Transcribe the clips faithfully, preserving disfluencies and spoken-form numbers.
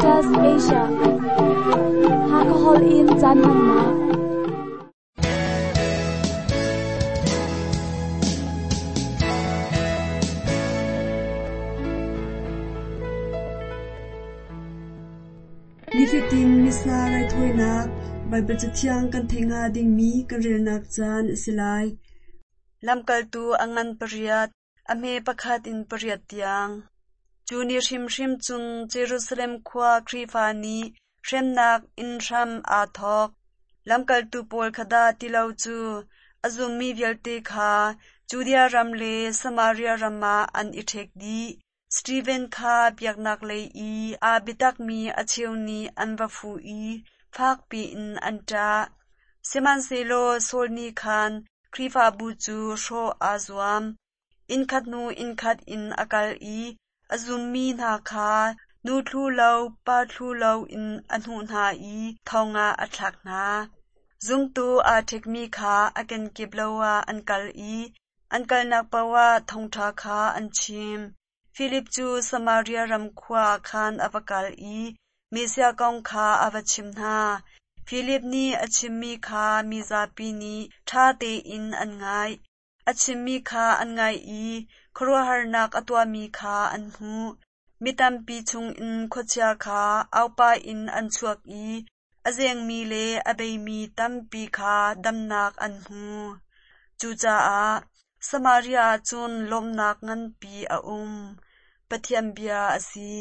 Adventist Asia. Hakahol in caan hmannak. Nifatin Missa raithawinak Baibal Cathiang kan theih hnga dingmi kan relnak caan a si lai. Lamkaltu a ngan pariat, a hme pakhat in pariat tiang. Cu ni hrimhrim cun Jerusalem khua Khrihfa nih hremnak in hram aa thawk. Lamkaltu pawl kha dah ti lo cu a zummi vialte kha Judea ram le Samaria ram ah an i ṭhek dih. Steven kha biaknak lei i aa biatakmi a cheu nih an va fuh i fakpi in an ṭah. Sihmanhsehlaw Saul nih khan Khrihfabu cu hrawh aa zuam. Innkhat hnu innkhat in a kal i a zummi hna kha nu thlu lo pa thlu lo in a hnuh hna i thong ah a thlak hna. Zumtu aa ṭhekmi kha a kenkip lo ah an kal i an kalnak paoh ah thawngṭha kha an chim. Filip cu Samaria ram khua ah khan a va kal i Messiah kong kha a va chimh hna. Filip nih a chimmi kha mizapi nih ṭha tein an ngaih. A chimmi kha an ngaih i khuaruahharnak a tuahmi kha an hmuh. Mi tampi chungin khuachia kha aupa in an chuak i a zengmi le a beimi tampi kha damnak an hmu. Cucaah Samaria ah cun lawmhnak nganpi a um. Pathian bia a si.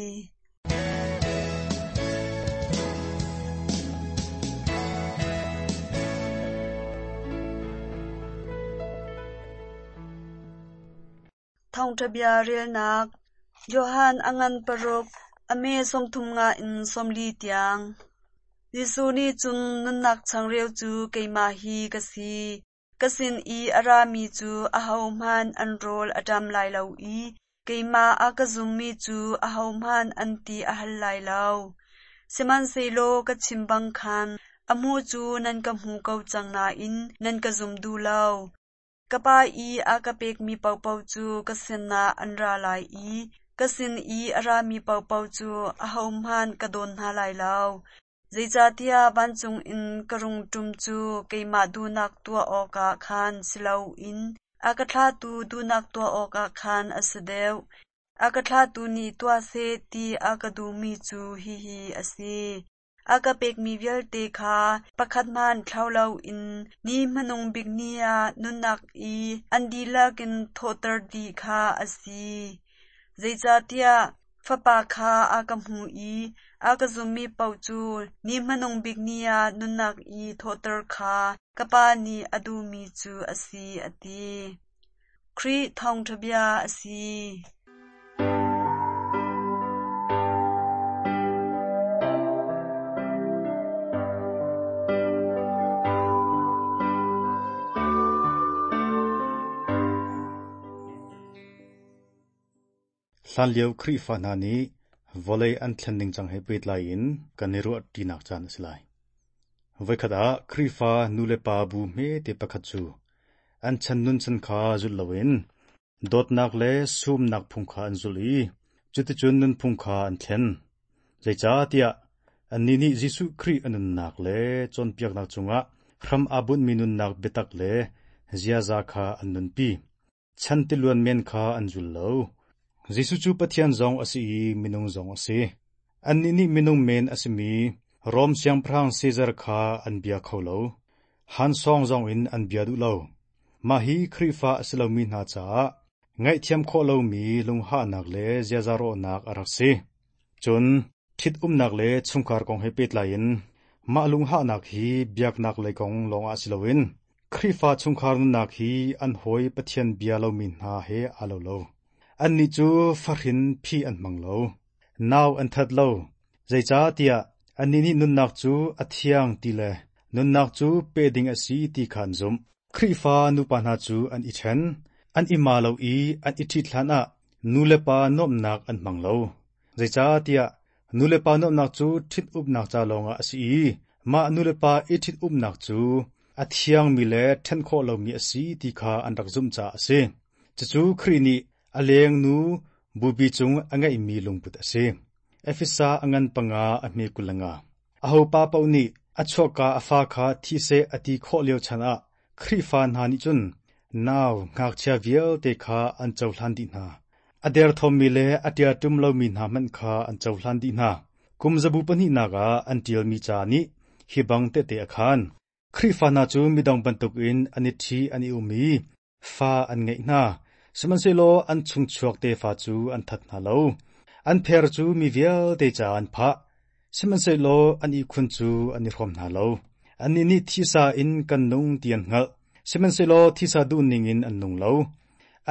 Thawngṭha bia relnak Johan a ngan paruk, a me sawmthum nga in sawmli tiang. Jesuh nih cun nunnak changreu cu keimah hi ka si. Ka sin i a rami cu ahohmanh an rawl a ṭam lai lo i keimah a ka zummi cu ahohmanh an ti a hal lai lo. Sihmanhsehlaw ka chim bang khan a hmuh cu nan ka hmu ko cang nain nan ka zum duh lo. Ka Pa i a ka pekmi paohpaoh cu ka sinah an ra lai i ka sin i a rami paohpaoh cu ahohmanh ka dawn hna lai lo. Zeicahtiah vancung in ka rung ṭum cu keimah duhnak tuah awkah khan si loin a ka thlahtu duhnak tuah awkah khan a si deuh. A ka thlahtu nih tuah seh ti a ka duhmi cu hihi a si. A ka pekmi vialte kha pakhat hmanh thlau loin ni hmanung bik ni ah nunnak i an dihlak in thawhter dih kha a si. Zeicahtiah Fapa kha a ka hmu i a ka zummi paoh cu ni hmanung bik ni ah nunnak i thawhter kha ka Pa nih a duhmi cu a si, a ti. Khrih thawngṭha bia a si. Hlanlio Khrihfa hna nih vawlei an thlen ningcang he pehtlai in kan i ruahṭinak caan a si lai. Voikhat ah Khrihfa nulepa bu hmete pakhat cu an chan nunchan kha zulh loin dawtnak le sumnak phung kha an zulh i cuticun nunphung kha an thlen. Zeicahtiah annih nih Jesuh Khrih a nunnak le cawnpiaknak cungah hram aa bunhmi nunnak biatak le ziaza kha an nunpi. Chan tiluan men kha an zul lo. Jesuh cu Pathian zong a si i minung zong a si. Annih nih minung men a simi Rom siangpahrang Caesar kha an bia kho lo. Hansawng zong in an bia duh lo. Mah hi Khrihfa a si lomi hna caah ngaihthiam khawh lomi lunghahnak le ziaza rawhnak a rak si. Cun ṭhitumnak le chungkhar kong he pehtlai in mah lunghahnak hi biaknak lei kong lawngah si loin Khrihfa chungkhar nunnak hi an hawi Pathian bia lomi hna he aa lo lo. Annih cu fahrin phih an hmang lo. Nau an that lo. Zeicahtiah annih nih nunnak cu a thiang ti le nunnak cu pe ding a si ti kha an zumh. Khrihfa nupa hna cu an i ṭhen, an i ma lo i an i ṭhit hlanah nulepa nuamhnak an hmang lo. Zeicahtiah nulepa nuamhnak cu ṭhit-upnak ca lawngah a si i mah nulepa i ṭhit-umnak cu a thiangmi le ṭhen khawh lomi a si ti kha an rak zumh caah a si. Cucu Khrih nih a lengnu bupi cung a ngeihmi lungput a si. Efesa a ngan panga a hme kul le nga. Ahopa paoh nih a chuakka a fa kha thi seh a ti khawh lio chan ah Khrihfa hna nih cun nau ngakchia vialte kha an cohlan dih hna. A derthawmmi le a ṭiaṭum lomi hna hmanh kha an cohlan dih hna. Kum zabu pahnihnak ah an ṭialmi ca nih hi bang tehte a khaan. Khrihfa hna cu midang bantukin an i ṭhi an i um i fa an ngeih hna. Sihmanhsehlaw an chungchuak tefa cu an that hna lo. An pher cu mi vialte caah an phah. Sihmanhsehlaw an ihkhun cu an i hrawm hna lo. Annih nih thisa in kan nung ti an hngalh. Sihmanhsehlaw thisa duhning in an nung lo.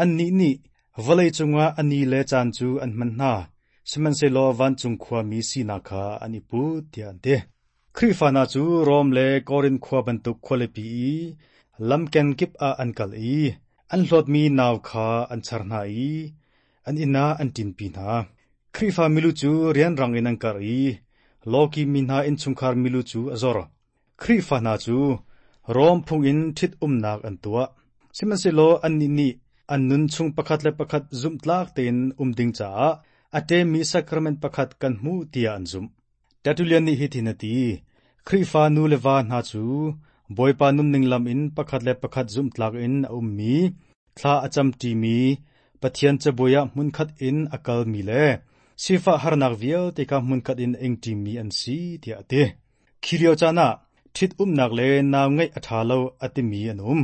Annih nih vawlei cungah a ni le caan cu an hman hna. Sihmanhsehlaw vancung khuami sinak kha an i put tiah an ti. Khrihfa hna cu Rom le Korin khua bantuk khualipi i lamken kip ah an kal i an hlawtmi nau kha an char hna i an inn ah an ṭinpi hna. Khrihfa milu cu rianrang in an karh i lawki mi hna innchungkhar milu cu a zor. Khrihfa hna cu Rom phung in ṭhit-umnak an tuah. Sihmanhsehlaw annih nih an nun chung pakhat le pakhat zumhtlak tein um ding caah a ṭemmi sacrament pakhat kan hmuh tiah an zumh. Tertullian nih hitin a ti: Khrihfa nu le va hna cu Bawipa nunning lam in pakhat le pakhat zumhtlak in a ummi, thla a camṭimi, Pathian cabuai ah hmunkhat in a kalmi le sifah harnak vialte kha hmunkhat in a ingṭimi an si tiah a ti. Khi lio caan ah ṭhit-umnak le nau ngeih a ṭha lo a timi an um.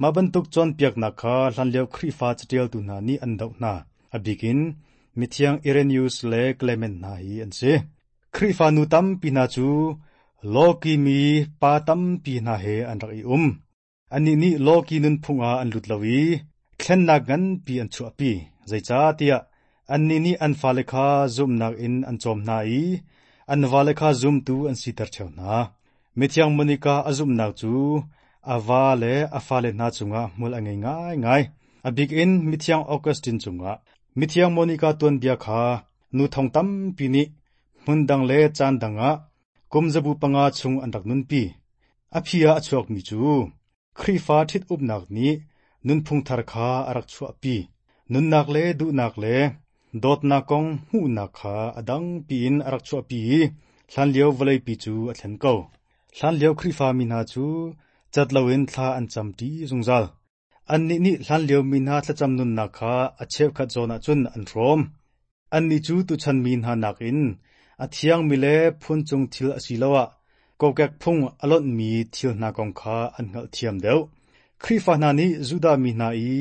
Mah bantuk cawnpiaknak kha hlanlio Khrihfa caṭialtu hna nih an doh hna. A bik in mithiang Irenaeus le Clement hna hi an si. Khrihfa nu tampi hna cu lawki mi pa tampi hna he an rak i um. Annih nih lawki nunphung ah an lut lo i thlennak nganpi an chuahpi. Zeicahtiah annih nih an fale kha zumhnak in an cawm hna i an vale kha zumtu an siter ṭheo hna. Mithiang Monica a zumhnak cu a va le a fale hna cungah hmual a ngei ngaingai. A bik in Mithiang Augustine cungah. Mithiang Monica tuanbia kha nu thong tampi nih hmun dang le caan dang ah kum zabu panga chung an rak nunpi. A phi ah a chuakmi cu Khrihfa ṭhit-upnak nih nunphung thar kha a rak chuahpi. Nunnak le duhnak le dawtnak kong hmuhnak kha a dangpi in a rak chuahpi i hlanlio vawleipi cu a thlen ko. Hlanlio Khrihfa mi hna cu cat loin thla an camṭi zungzal. Annih nih hlanlio mi hna thlacam nunnak kha a cheukhat zawn ahcun an hrawm. Annih cu tuchan mi hna nakin a thiangmi le phuncung thil asiloah kokek phung a lonhmi thil hna kong kha an hngalhthiam deuh. Khrihfa hna nih Judah mi hna i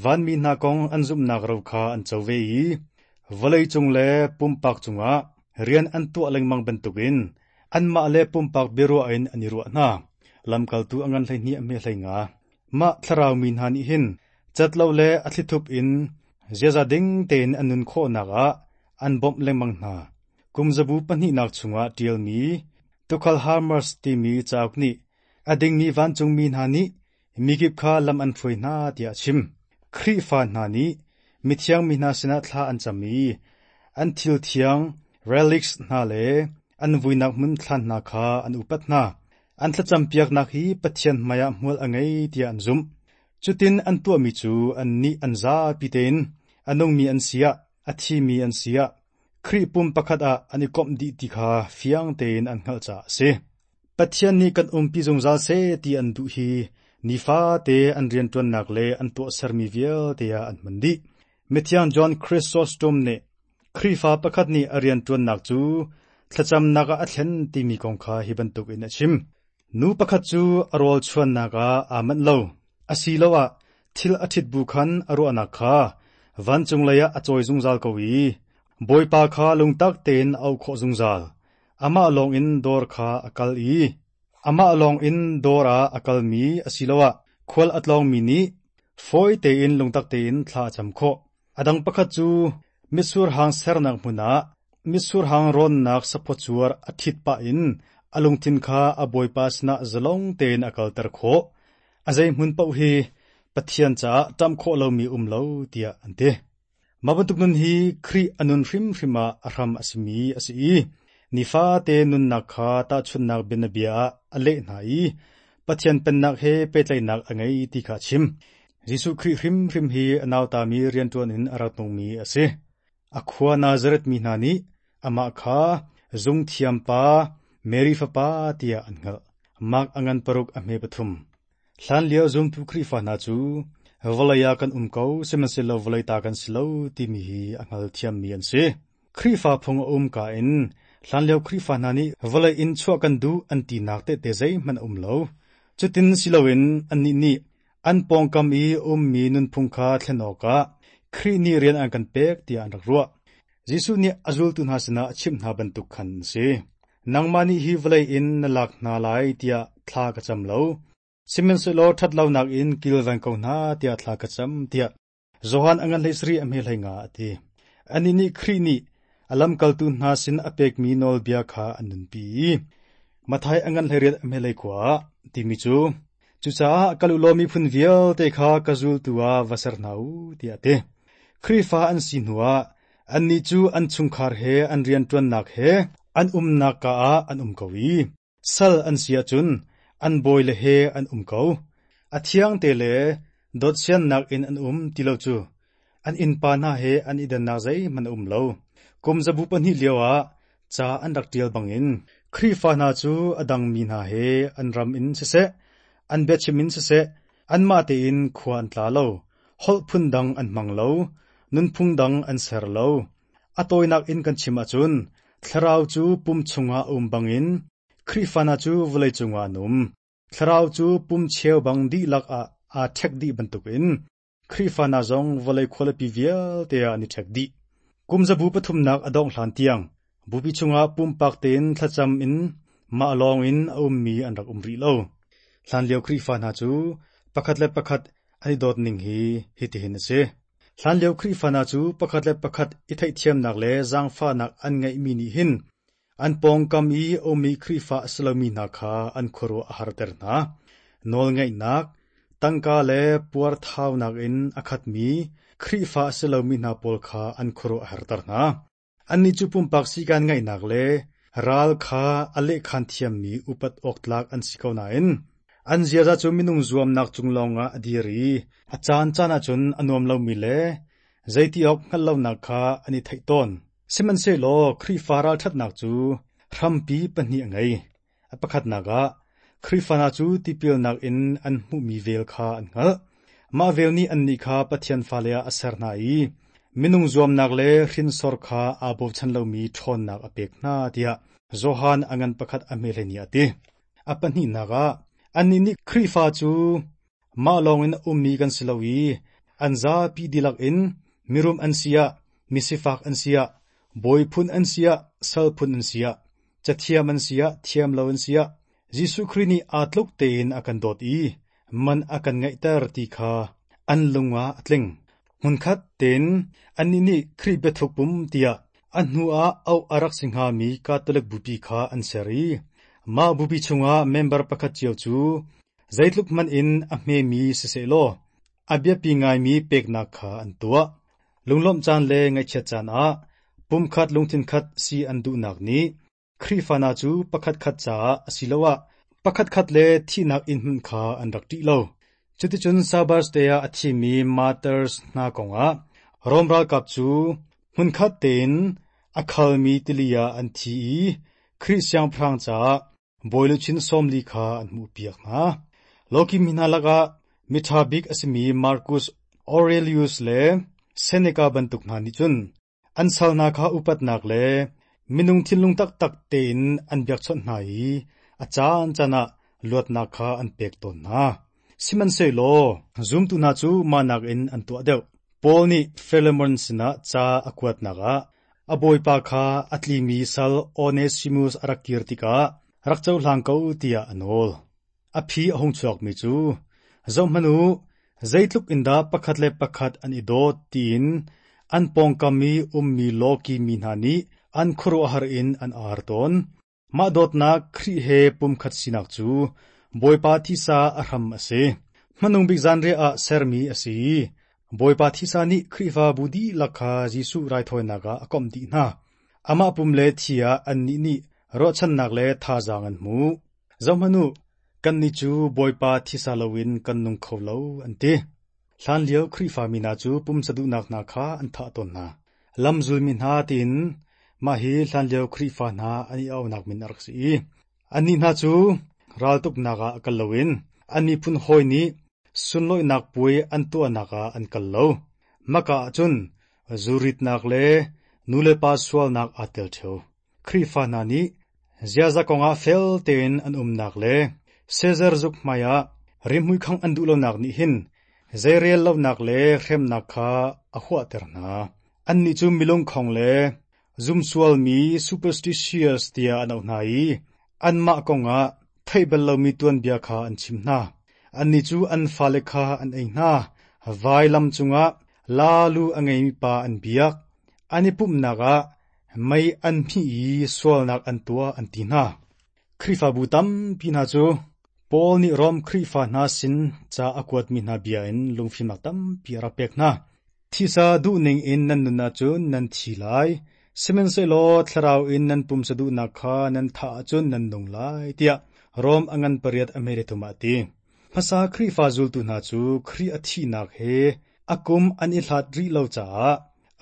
vanmi hna kong an zumhnak ro kha an co ve i vawleicung le pumpak cungah rian an tuah lengmang bantukin anmah le pumpak biaruah in an i ruah hna. Lamkaltu a ngan hleihnih a hme hlei nga. Mah thlarau mi hna nih hin cat lo le a thlithup in ziaza ding tein an nun khawhnak ah an bawmh lengmang hna. Kum zabu pahnihnak chungah ṭialmi Tukhal Hermas timi cauk nih a dingmi vancungmi hna nih mikip kha lam an hruai hna tiah a chim. Khrihfa hna nih mithiang mi hna sinah thla an cam i an thil thiang relics hna le an vuinak hmun thlan hna kha an upat hna. An thlacampiaknak hi Pathian hmaiah hmual a ngei tiah an zumh. Cutin an tuahmi cu annih an zapi tein a nungmi an si ah, a thimi an si ah, Khrih pum pakhat ah an i komh dih ti kha fiang tein an hngalh caah a si. Pathian nih kan umpi zungzal seh ti an duh hi nifate an rianṭuannak le an tuahsermi vialte ah an hman dih. Mithiang John Chrysostom nih Khrihfa pakhat nih a rianṭuannak cu thlacamnak ah a thlen timi kong kha hi bantukin a chim. Nu pakhat cu a rawl chuannak ah aa manh lo, asiloah thil a ṭhit bu khan a ruahnak kha vancung lei ah a cawi zungzal ko i Bawipa kha lungtak tein a auh khawh zungzal. Amah lawngin dawr kha a kal i amah lawngin dawr ah a kalmi asiloah khual a tlawngmi nih fawi tein lungtak tein thla a cam khawh. A dang pakhat cu mitsur hang sernak hmun ah mitsur hang rawnnak saphaw a ṭhit pah in a lungthin kha a bawipa sinah zalong tein a kalter khawh. A zei hmun paoh hi Pathian caah ṭam khawh lomi um lo tiah an ti. Mah bantuk nun hi Khrih a nun hrimhrim ah a hram a simi a si i nifate nunnak kha tahchunhnak bianabia ah a leh hna i Pathian pennak he pehtlaihnak a ngei ti kha a chim. Jesuh Khrih hrimhrim hi a nautami rianṭuan in a rak nungmi a si. A khua Nazareth mi hna nih Amah kha zungthiam pa Mary fapa tiah an hngalh. Mark a ngan paruk a hme pathum. Hlanlio zumtu Khrihfa hna cu vawlei ah kan um ko sihmanhsehlaw vawlei ta kan si lo timi hi a hngalthiammi an si. Khrihfa phung a um ka in hlanlio Khrihfa hna nih vawlei in chuah kan duh an tinak tehte zeihmanh a um lo. Cutin si loin annih nih an pawngkam i ummi nunphung kha thlen awkah Khrih nih rian an kan pek tiah an rak ruah. Jesuh nih a zultu hna sinah a chimh hna bantuk khan an si. Nangmah nih hi vawlei in na lak hna lai tiah thla ka cam lo. Sihmanhsehlaw ṭhatlonak in kilveng ko hna tiah thla ka cam tiah Johan a ngan hlei sarih a hme hlei nga a ti. Annih nih Khrih nih a lamkaltu hna sin a pekmi nawlbia kha an nunpi i Matthai a ngan hleiriat a hme hlei khua ah timi cu cucaah kal u law miphun vialte kha ka zultu ah va ser hna u tiah a ti. Khrihfa an si hnuah annih cu an chungkhar he an rianṭuannak he an umnak ka ah an um ko i sal an si ahcun an bawile he an um ko. A thiangte le dawtsiannak in an um ti lo cu an innpa hna he an i dannak zeihmanh a um lo. Kum zabu pahnih lioah ca an rak ṭial bangin Khrihfa hna cu a dangmi hna he an ram in siseh, an biachim in siseh, anmah tein khua an tla lo, holh phun dang an hmang lo, nunphung dang an ser lo. A tawinak in kan chim ahcun thlarau cu pum chungah a um bangin Khrihfa hna cu vawlei cungah an um. Thlarau cu pum cheu bang dihlak ah aa ṭhek dih bantukin Khrihfa hna zong vawlei khualipi vialte ah an i ṭhek dih. Kum zabu pathumnak a dongh hlan tiang bupi chungah pumpak tein thlacam in mah lawng in a ummi an rak um rih lo. Hlanlio Khrihfa hna cu pakhat le pakhat an i dawt ning hi hitihin a si. Hlanlio Khrihfa hna cu pakhat le pakhat i theihthiamnak le zaangfahnak an ngeihmi nih hin an pawngkam i a ummi Khrihfa a si lomi hna kha an khuaruah a harter hna. Nawlngeihnak, tangka le puarthaunak in a khatmi Khrihfa a si lomi hna pawl kha an khuaruah a harter hna. Annih cu pumpak sikan ngeihnak le ral kha a lehkhan thiammi upat awk tlak an si ko nain an ziaza cu minung zuamnak cung lawngah a dir i a caan caan ahcun a nuam lomi le zeiti awk hngalh lonak kha an i theih tawn. Sihmanhsehlaw Khrihfa ralṭhatnak cu hrampi pahnih a ngei. A pakhatnak ah Khrihfa hna cu tipilnak in an hmuhmi vel kha an hngalh. Mah vel nih annih kha Pathian fale ah a ser hna i minung zuamnak le hrinsor kha aa bochan lomi ṭhawnnak a pek hna tiah Johan a ngan pakhat a hme hleihnih a ti. A pahnihnak ah annih nih Khrihfa cu mah lawngin a ummi kan si lo i an zapi dihlak in mirum an si ah, misifak an si ah, bawi phun an si ah, sal phun an si ah, cathiam an si ah, thiam lo an si ah, Jesuh Khrih nih aa tluk tein a kan dawt i man a kan ngeihter ti kha an lung ah a tling. Hmunkhat tein annih nih Khrih biathuk pum tiah a hnu ah auh a rak si hngami Catholic bupi kha an ser i mah bupi chungah member pakhat cio cu zeitluk hmanh in a hmemi sisehlaw a biapi ngaimi peknak kha an tuah. Lunglawmh caan le ngaihchiat caan ah pumkhat lungthin khat si an duhnak nih Khrihfa hna cu pakhatkhat caah asiloah pakhatkhat le thihnak inn hmanh kha an rak ṭih lo. Cuticun Sabbath te ah a thimi martyrs hna kongah Rom ralkap cu hmunkhat tein a khalmi tili ah an thi i Khrih siangpahrang caah bawiluchin sawmli kha an hmuhpiak hna. Lawki mi hna lakah miṭha bik a simi Marcus Aurelius le Seneca bantuk hna nih cun an sal hna kha upatnak le minung thinlung taktak tein an biakchawnh hna i a caan caan ah luatnak kha an pek tawn hna. Sihmanhsehlaw zumtu hna cu mah nakin an tuah deuh. Paul nih Philemon sinah ca a kuatnak ah a bawipa kha a tlimi sal Onesimus a rak kir tikah rak cohlang ko tiah a nawl. A phi a hung chuakmi cu, zohhmanh u, zeitluk in dah pakhat le pakhat an i dawt tiin an pawngkam i ummi lawki mi hna nih an khuaruahhar in an ar tawn. Mah dawtnak Khrih he pumkhat sinak cu Bawipa thisa a hram a si. Hmanung bik zanriah ah sermi a si i Bawipa thisa nih Khrihfabu dihlak kha Jesuh raithawinak ah a komh dih hna. Amah pum le thi ah annih nih ruahchannak le thazaang an hmu. Zohhmanh u, kannih cu Bawipa thisa loin kan nung kho lo, an ti. Hlanlio Khrihfa mi hna cu pumsa duhnak hna kha an thah tawn hna. Lamzulmi hna tiin Mah hi hlanlio Khrihfa hna an i auhnak min a rak si i annih hna cu raltuknak ah kal loin an miphun hawi nih sunlawihnak puai an tuahnak ah an kal lo. Maka ahcun zuritnak le nulepa sualnak aa tel ṭheo. Khrihfa hna nih ziaza kongah fel tein an umnak le Caesar zuk hmaiah rimhmui khangh an duh lonak nih hin zeirel lonak le hremnak kha a huahter hna. Annih cu milungkhong le zumsualmi superstitious tiah an auh hna i anmah kongah theih bal lomi tuanbia kha an chim hna. Annih cu an fale kha an ei hna. Vailam cungah laalu a ngeimi pa an biak. An i pumhnak ah mei an hmih i sualnak an tuah an ti hna. Khrihfabu tampi hna cu Paul nih Rom Khrihfa hna sin ca a kuatmi hna bia in lungfimnak tampi a rak pek hna. Thisa duhning in nan nun ahcun nan thi lai, sihmanhsehlaw thlarau in nan pumsa duhnak kha nan thah ahcun nan nung lai, tiah Rom a ngan pariat a hme thum ah a ti. Hmasa Khrihfa zultu hna cu Khrih a thihnak he a kum an i hlat rih lo caah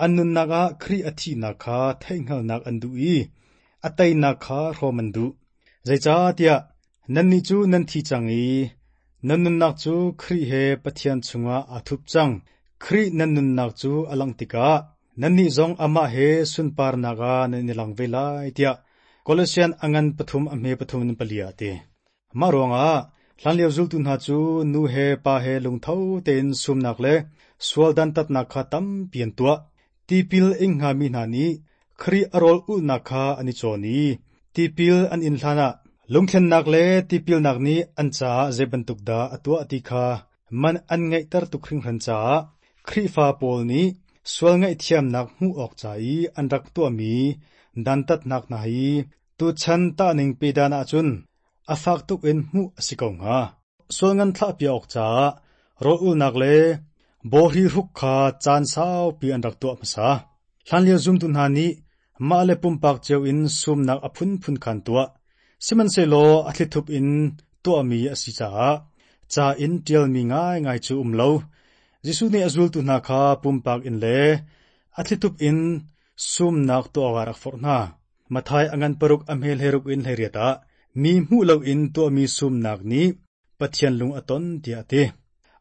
an nunnak ah Khrih a thihnak kha theihhngalhnak an duh i a teinak kha hrawm an duh. Zeicahtiah nannih cu nan thi cang i nan nunnak cu Khrih he Pathian chungah aa thup cang. Khrih nan nunnak cu a langh tikah nannih zong amah he sunparnak ah nan i lang ve lai tiah Kolosian a ngan pathum a hme pathum in pali ah a ti. Mah ruangah hlanlio zultu hna cu nu he pa he lungtho tein sumnak le sual dantatnak kha tampi an tuah. Tipil ing hngami hna nih Khrih a rawl ulhnak kha an i cawn i tipil an in hlanah lungthlennak le tipilnak nih an caah zei bantuk dah a tuah ti kha man an ngeihter tuk hringhran caah Khrihfa pawl nih sual ngaihthiamnak hmuh awk ca i an rak tuahmi dantatnak hna hi tuchan tahning pedan ahcun a fak tuk in hmuh a si ko hnga. Sual ngan thlahpiak awk caah rawl ulnak le bawhri hruk kha caan saupi an rak tuah hmasa. Hlanlio zumtu hna nih mah le pumpak cio in sumnak a phunphun kha an tuah. Sihmanhsehlaw a thlithup in tuahmi a si caah ca in ṭialmi ngaingai cu um lo. Jesuh nih a zultu hna kha pumpak in le a thlithup in sumnak tuah awkah a rak forh hna. Matthai a ngan paruk a hme hleiruk in hleiriat ah mi hmuh loin tuahmi sumnak nih Pathian lung a ton tiah a ti.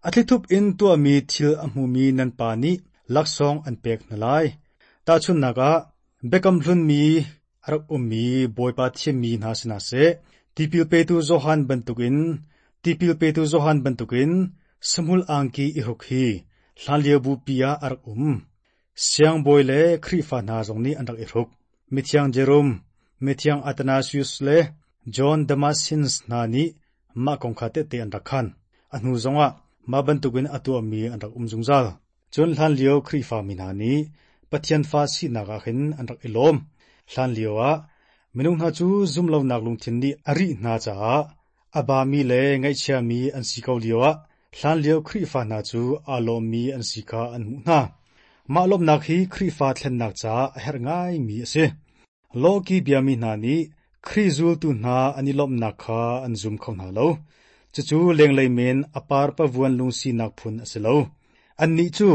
A thlithup in tuahmi thil a hmumi nan Pa nih laksawng an pek hna lai. Tahchunhnak ah, biakam hlunmi a rak ummi Bawipa thimmi hna si hna seh, tipil petu Johan bantukin tipil petu Johan bantukin sahmul angki i hruk hi hlanlio bupi ah a rak um. Siangbawi le Khrihfa hna zong nih an rak i hruk. Mithiang Jerome, Mithiang Athanasius le John Damascene hna nih mah kong kha tehte an rak khan. A hnu zongah mah bantukin a tuahmi an rak um zungzal. Cun hlanlio Khrihfa mi hna nih Pathian fa sinak ah hin an rak i lawm. Hlanlio ah minung hna cu zumlonak lungthin nih a rih hna caah a bami le ngaihchiami an si ko lioah hlanlio Khrihfa hna cu aa lawmmi an si kha an hmuh hna. Mah lawmhnak hi Khrihfa thlennak caah a herh ngaimi a si. Lawki biami hna nih Khrih zultu hna an i lawmhnak kha an zum kho hna lo. Cucu lenglei men a parpavuan lungsinak phun a si lo. Annih cu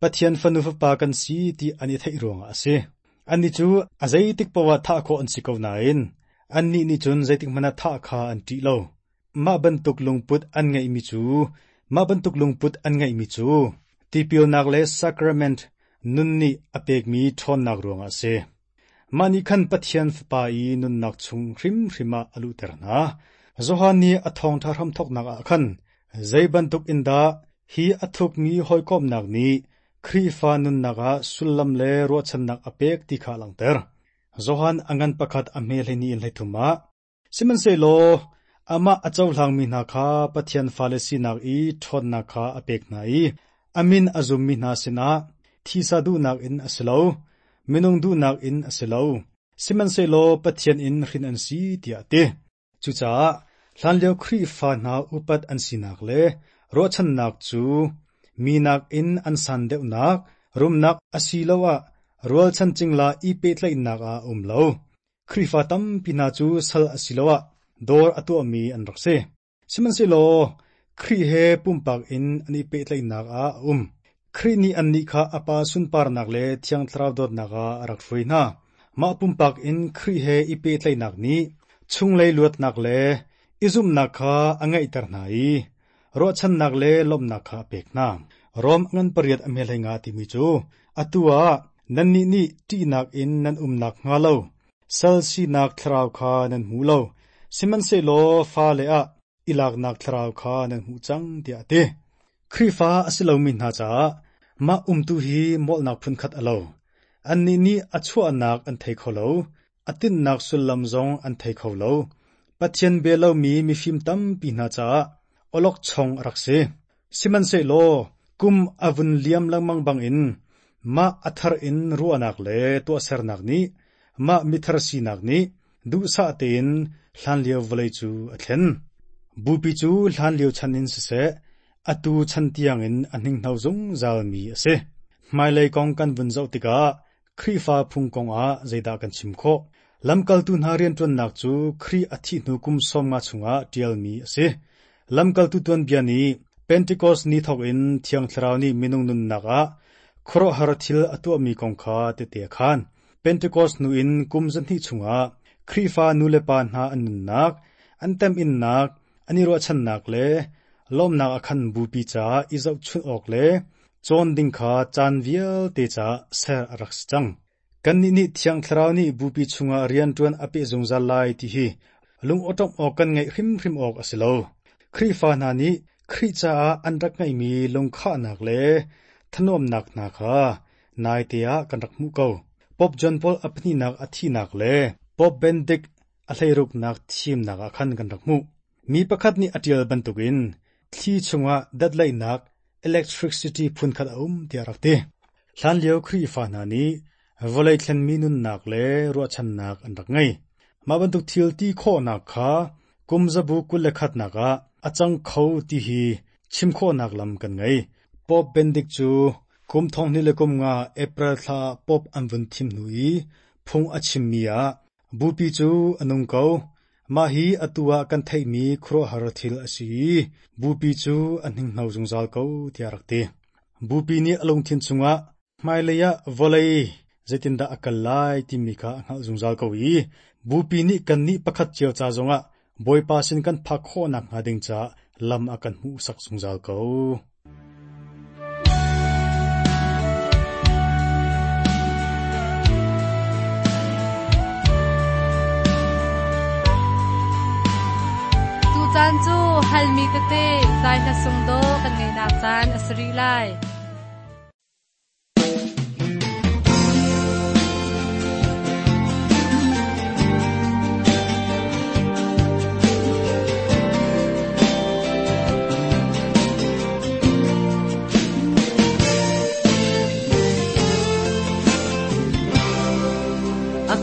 Pathian fanu fapa kan si ti an i theih ruangah a si. Annih cu a zeitik paoh ah thah khawh an si ko nain annih nih cun zeitik hmanh ah thah kha an ṭih lo. Mah bantuk lungput an ngeihmi cu mah bantuk lungput an ngeihmi cu tipilnak le sacrament nun nih a pekmi ṭhawnnak ruangah a si. Mah nih khan Pathian Fapa i nunnak chung hrimhrim ah a luhter hna. Johan nih a thawngṭha hramthawknak ah khan zei bantuk in dah hi a thukmi hawikomhnak nih Khrihfa nunnak ah sullam le ruahchannak a pek ti kha a langhter. Johan a ngan pakhat a hme hleihnih in hleithum ah Sihmanhsehlaw amah a cohlangmi hna kha Pathian fale sinak i ṭhawnnak kha a pek hna i a min a zummi hna sinah thisa duhnak in a si lo, minung duhnak in a si lo, sihmanhsehlaw Pathian in hrin an si tiah a ti. Cucaah hlanlio Khrihfa hna upat an sinak le ruahchannak cu mi nakin an san deuhnak, rumnak asiloah rualchan cingla i pehtlaihnak ah a um lo. Khrihfa tampi hna cu sal asiloah dawr a tuahmi an rak si. Sihmanhsehlaw Khrih he pumpak in an i pehtlaihnak ah a um. Khrih nih annih kha a Pa sunparnak le Thiang Thlarau dawtnak ah a rak hruai hna. Mah pumpak in Khrih he i pehtlaihnak nih chunglei luatnak le i zumhnak kha a ngeihter hna i ruahchannak le lawmhnak kha a pek hna. Rom ngan pariat a hme hlei nga timi cu atu ah nannih nih ṭihnak in nan umnak hnga lo, sal sinak thlarau kha nan hmu lo, sihmanhsehlaw fale ah i laknak thlarau kha nan hmuh cang tiah a ti. Khrihfa a si lomi hna caah mah umtu hi molhnak phunkhat a lo. Annih nih a chuahnak an thei kho lo, a tinhnak sullam zong an thei kho lo. Pathian bia lomi mifim tampi hna caah awlokchong a rak si. Sihmanhsehlaw kum a vun liam lengmang bangin mah a thar in ruahnak le tuahsernak nih mah mithar sinak nih duhsah tein hlanlio vawlei cu a thlen. Bupi cu hlanlio chan in siseh, atu chan tiangin a hninghno zungzalmi a si. Hmailei kong kan vun zoh tikah Khrihfa phung kongah zeidah kan chim khawh? Lamkaltu hna rianṭuannak cu Khrih a thih hnu kum sawmnga chungah ṭialmi a si. Lamkaltu tuanbia nih Pentecost ni thawk in Thiang Thlarau nih minung nunnak ah khuaruahhar thil a tuahmi kong kha tehte a khaan. Pentecost hnu in kum zahnih chungah Khrihfa nulepa hna an nunnak, an temhinnak, an i ruahchannak le lawmnak a khan bupi caah i zohchunh awk le cawn ding kha caan vialte caah ser a rak si cang. Kannih nih Thiang Thlarau nih bupi chungah rianṭuan a peh zungzal lai ti hi lung awṭawm awk kan ngeih hrimhrim awk a si lo. Khrihfa hna nih Khrih caah an rak ngeihmi lungkhahnak le thanuamnak hna kha naite ah kan rak hmuh ko. Pope John Paul a pahnihnak a thihnak le Pope Benedict a hleiruknak thimnak ah khan kan rak hmuh. Mi pakhat nih a ṭial bantukin thli chungah datlaihnak electricity phunkhat a um tiah a rak ti. Hlanlio Khrihfa hna nih vawlei thlenmi nunnak le ruahchannak an rak ngei. Mah bantuk thil ti khawhnak kha kum zabu kul le khatnak ah a cang kho ti hi chim khawhnak lam kan ngei. Pope Benedict cu kum thonghnih le kum nga April thla ah Pope an vun thim hnu i phung a chimmi ah bupi cu a nung ko. Mah hi atu ah kan theihmi khuaruahhar thil a si i bupi cu a hninghno zungzal ko tiah a rak ti. Bupi nih a lungthin chungah hmailei ah vawlei zeitindah a kal lai timi kha a hngalh zungzal ko i bupi nih kannih pakhat cio ca zongah Bawipa sin kan phak khawhnak hnga ding caah lam a kan hmuhsak zungzal ko. Tucaan cu halmi tete zai hla sung dawh kan ngeihnak caan a si rih lai.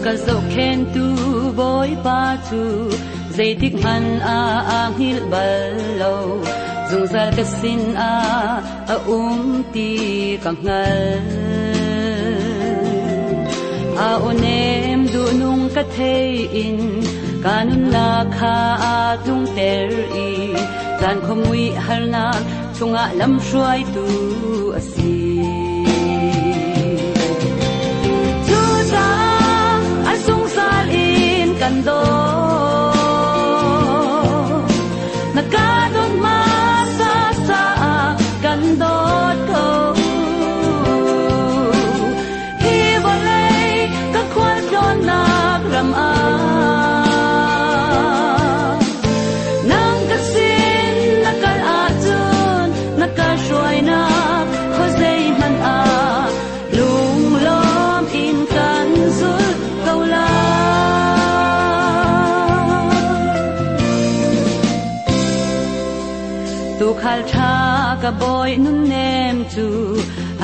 Ka zohkhentu Bawipa cu zeitik hmanh ah aa hngilh bal lo, zungzal ka sin ah a um ti ka hngal. A aw nem duhnung ka thei in ka nunnak kha aa tlungter i zan khuamui harnak chungah lamhruaitu a si. Cucaah a zungzal in kan dawt, na ka dawt hmasa caah kan dawt ko. Hi vawlei ka khualtlawnnak ram ah nang ka sin na kal ahcun na ka hruainak khuazei hmanh ah lunglawm in kan zulh ko lai. Tuukhal ṭha ka bawi nunnem cu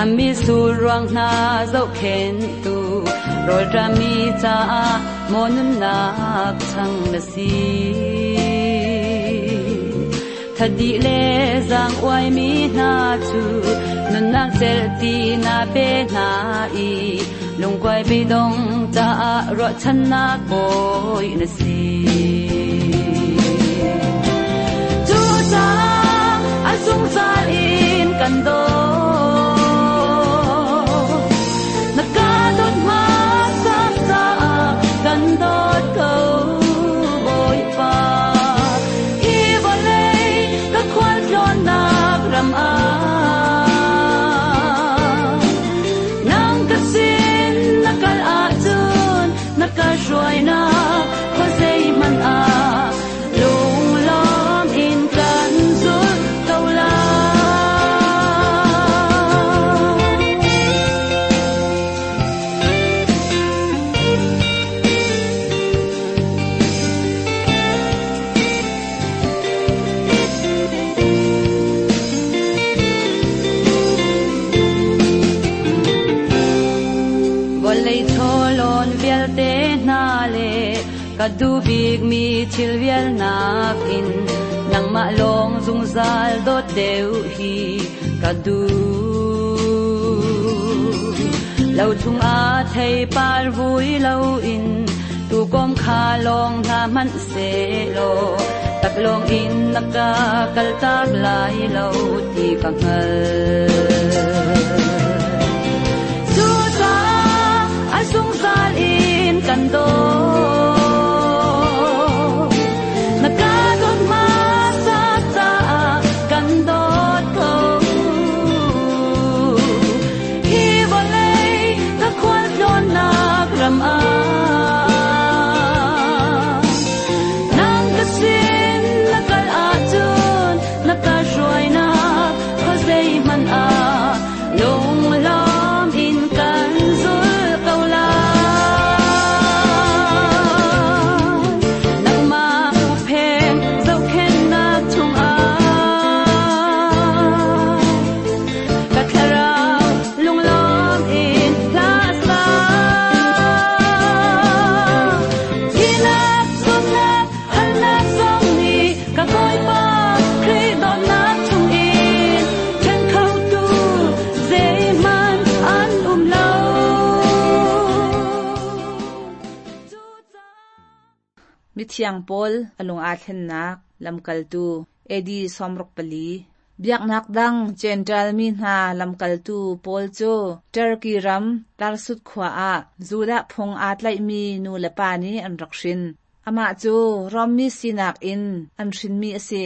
a mitsur ruang hna zohkhenhtu, rawlṭami caah maw nunnak chang na si. Thadi le zaang uaimi hna cu nunnak celh na pe hna i lungkuai beidong caah ruahchannak bawi na si. Cucaah a zungzal in kan dawt, na ka dawt hmasa caah Ka duh bikmi thil vial nakin nangmah lawng zungzal dawt deuh hi ka duh. Lo chungah theipar vui loin tuukawm kha lawng hna hmanh sehlaw taklawng in na ka kaltak lai lo ti ka hngalh. Cucaah a zungzal in kan dawt. Na ka dawt hmasa caah kan dawt ko. Hi vawlei ka khualtlawnnak ram ah nang ka sin na kal ahcun na ka hruainak khuazeihmanh ah lunglawm in kan zul ko lai. Nangmah huhphenh zohkhenhnak chungah ka thlarau lunglawm in hla sa. Thihnak, zawtnak, halnak zong nih ka Bawipa Khrih dawtnak chungin ṭhen khotu zeihmanh an um lo. Mithiang Paul a lung aa thlennak lamkaltu A D sawmruk pali. Biaknak dang Jentail mi hna lamkaltu Paul cu Turkey ram Tarsus khua ah Judah phung aa tlaihmi nu le pa nih an rak hrin. Amah cu Rom mi sinak in an hrinmi a si.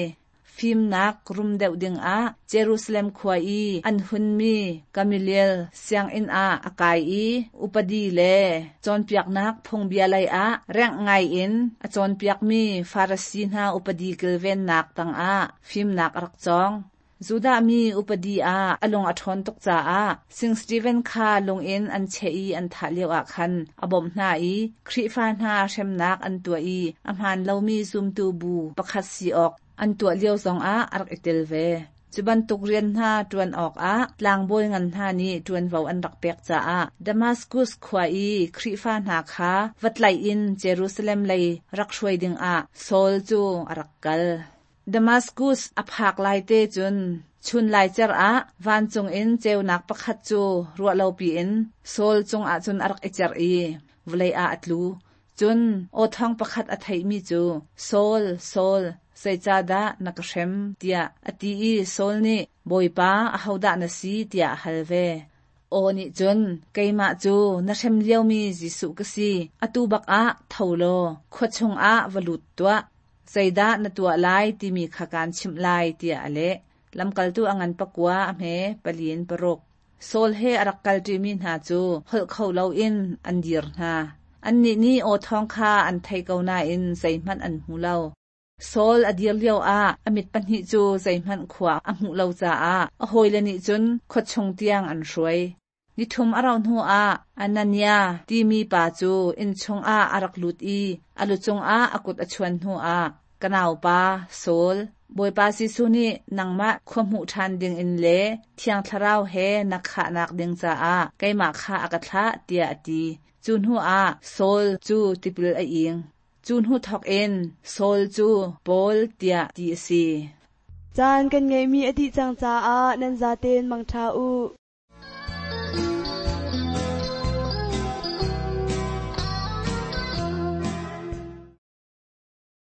Fimnak rum deuh dingah Jerusalem khua i an hunmi Gamaliel sianginn ah a kai i upadi le cawnpiaknak phungbia lei ah rengh ngai in a cawnpiakmi Farasi hna upadi kilvennak tangah fimnak a rak cawng. Judah mi upadi ah a lung a ṭhawn tuk caah Saint Stephen kha lung in an cheh i an thah lioah khan a bawmh hna i Khrihfa hna hremnak an tuah i a hmaan lomi zumtu bu pakhat si awk an tuah lio zongah a rak i tel ve. Cu bantuk rian hna ṭuan awkah tlangbawi ngan hna nih ṭuanvo an rak pek caah Damaskus khua i Khrihfa hna kha va tlaih in Jerusalem lei rak hruai dingah Saul cu a rak kal. Damaskus a phak laite cun chun laicer ah vancung in ceunak pakhat cu ruahlopi in Saul cungah cun a rak i cerh i vawlei ah a tlu. Cun aw thawng pakhat a theihmi cu, Saul, Saul, zeicahdah na ka hrem, tiah a ti i Saul nih, Bawipa, ahodah na si, tiah a hal ve. Aw nih cun, Keimah cu na hrem liomi Jesuh ka si. Atu bak ah tho law khua chungah va lut tuah. Zeidah na tuah lai timi kha kaan chimh lai, tiah a leh. Lamkaltu a ngan pakua a hme pali in paruk. Saul he a rak kalṭimi hna cu holh kho loin an dir hna. Annih nih aw thawng kha an thei ko nain zeihmanh an hmu lo. Saul a dir lioah a mit pahnih cu zeihmanh khua a hmuh lo caah a hawile nih cun khua chung tiang an hruai. Nithum a rauh hnuah Anania timi pa cu inn chungah a rak lut i a lu cungah a kut a chuan hnuah, Ka naupa Saul, Bawipa Jesuh nih nangmah khua hmuh ṭhan dingin le Thiang Thlarau he na khahnak ding caah keimah kha a ka thlah, tiah a ti. Cu hnuah Saul cu tipil a ing. Cu hnu thawkin Saul cu Paul tiah ti a si. Caan kan ngeihmi a dih cang caah nan zaten mangṭha u.